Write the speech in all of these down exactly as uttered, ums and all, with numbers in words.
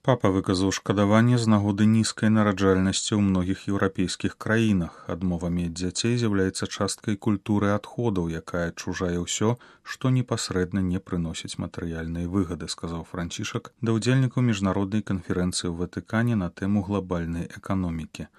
Папа выказаў шкадаванне з нагоды нізкай нараджальнасці ў многіх еўрапейскіх краінах. Адмова мець дзяцей з'яўляецца часткай культуры адходаў, якая чужае ўсё, што непасрэдна не прыносіць матэрыяльнай выгады, сказаў Францішак да ўдзельнікаў міжнароднай канферэнцыі ў Ватыкане на тэму глобальнай эканомікі.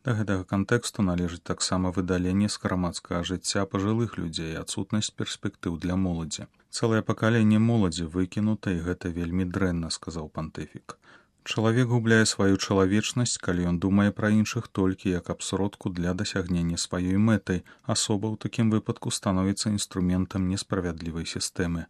Да гэтага кантэксту належыць таксама выдаленне з грамадскага жыцця пажылых людзей і адсутнасць перспектыў для моладзі. Цэлае пакаленне моладзі выкінута, і гэта вельмі дрэнна, сказаў пантыфік. Чалавек губляе сваю чалавечнасць, калі ён думае пра іншых толькі як аб сродку для дасягнення сваёй мэтай. Асоба ў такім выпадку становіцца інструментам несправядлівай сістэмы.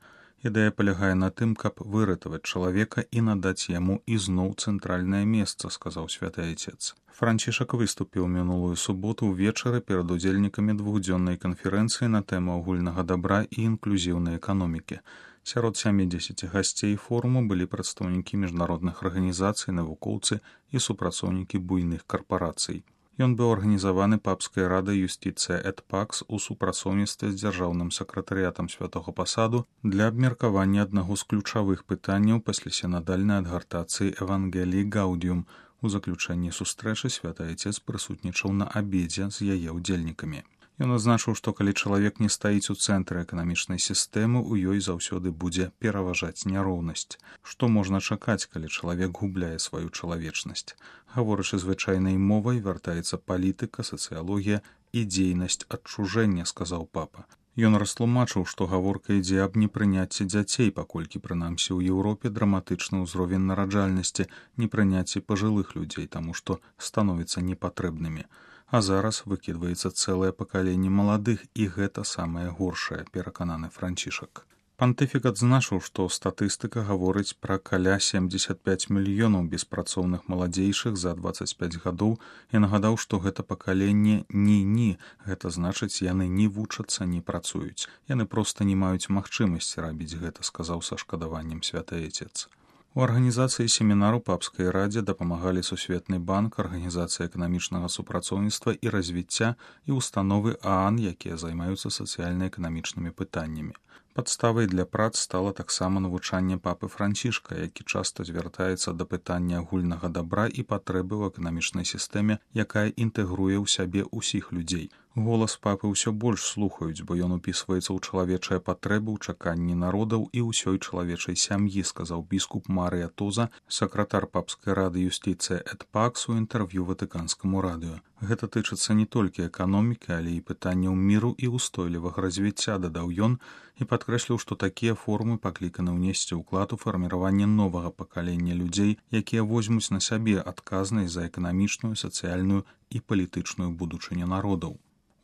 Ідэя палягае на тым, каб выратаваць чалавека і надаць яму ізноў цэнтральнае месца, сказаў святы айцец. Францішак выступіў мінулую суботу ўвечары перад удзельнікамі двухдзённай канферэнцыі на тэму агульнага дабра і інклюзіўнай эканомікі. Сярод сямідзесяці гасцей форуму былі прадстаўнікі міжнародных арганізацый, навукоўцы і супрацоўнікі буйных карпарацый. Ён быў арганізаваны папскай радай юстыцыя эт пакс у супрацоўніцтве з дзяржаўным сакратарыятам святога пасаду для абмеркавання аднаго з ключавых пытанняў пасля сінадальнай адгартацыі Евангеліі Гаудіум. У заключэнні сустрэчы святы айцец прысутнічаў на абедзе з яе ўдзельнікамі. Ён адзначыў, што калі чалавек не стаіць у цэнтры эканамічнай сістэмы, у ёй заўсёды будзе пераважаць няроўнасць. Што можна чакаць, калі чалавек губляе сваю чалавечнасць? Гаворачы звычайнай мовай, вяртаецца палітыка, сацыялогія і дзейнасць адчужэння, сказаў папа. Ён растлумачыў, што гаворка ідзе аб непрыняцці дзяцей, паколькі прынамсі ў Еўропе драматычны ўзровень нараджальнасці, непрыняцці пажылых людзей, таму што становяцца непатрэбнымі. А зараз выкідваецца цэлае пакаленне маладых, і гэта самае горшае, перакананы Францішак. Пантыфік адзначыў, што статыстыка гаворыць пра каля семдзесят пяць мільёнаў беспрацоўных маладзейшых за дваццаць пяць гадоў і нагадаў, што гэта пакаленне ні-ні, гэта значыць, яны не вучацца, не працуюць. Яны проста не маюць магчымасці рабіць гэта, сказаў са шкадаваннем святы айцец. У арганізацыі семінару папскай радзе дапамагалі Сусветны банк, арганізацыя эканамічнага супрацоўніцтва і развіцця і установы ААН, якія займаюцца сацыяльна-эканамічнымі пытаннямі. Падставай для прац стала таксама навучанне папы Францішка, які часта звяртаецца да пытання агульнага дабра і патрэбы ў эканамічнай сістэме, якая інтэгруе ў сябе ўсіх людзей. Голас папы ўсё больш слухаюць, бо ён упісваецца ў чалавечыя патрэбы, ў чаканні народаў і ўсёй чалавечай сям'і, сказаў біскуп Марыя Тоза, сакратар папскай рады юстыцыя эт пакс у інтэрв'ю ватыканскаму радыё. Гэта тычыцца не толькі эканомікі, але і пытанняў міру і ўстойлівага развіцця, дадаў ён, і падкрэсліў, што такія форумы пакліканы ўнесці ўклад у фарміраванне новага пакалення людзей, якія возьмуць на сябе адказнасць за эканамічную, сацыяльную і палітычную будучыню народаў.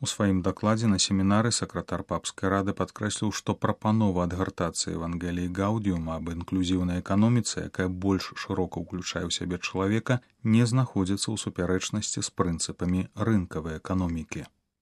У сваім дакладзе на семінары сакратар папскай рады падкрэсліў, што прапанова адгартацыі Евангеліі Гаудіума аб інклюзіўнай эканоміцы, якая больш шырока ўключае ў сябе чалавека, не знаходзіцца ў супярэчнасці з прынцыпамі рынкавай эканомікі.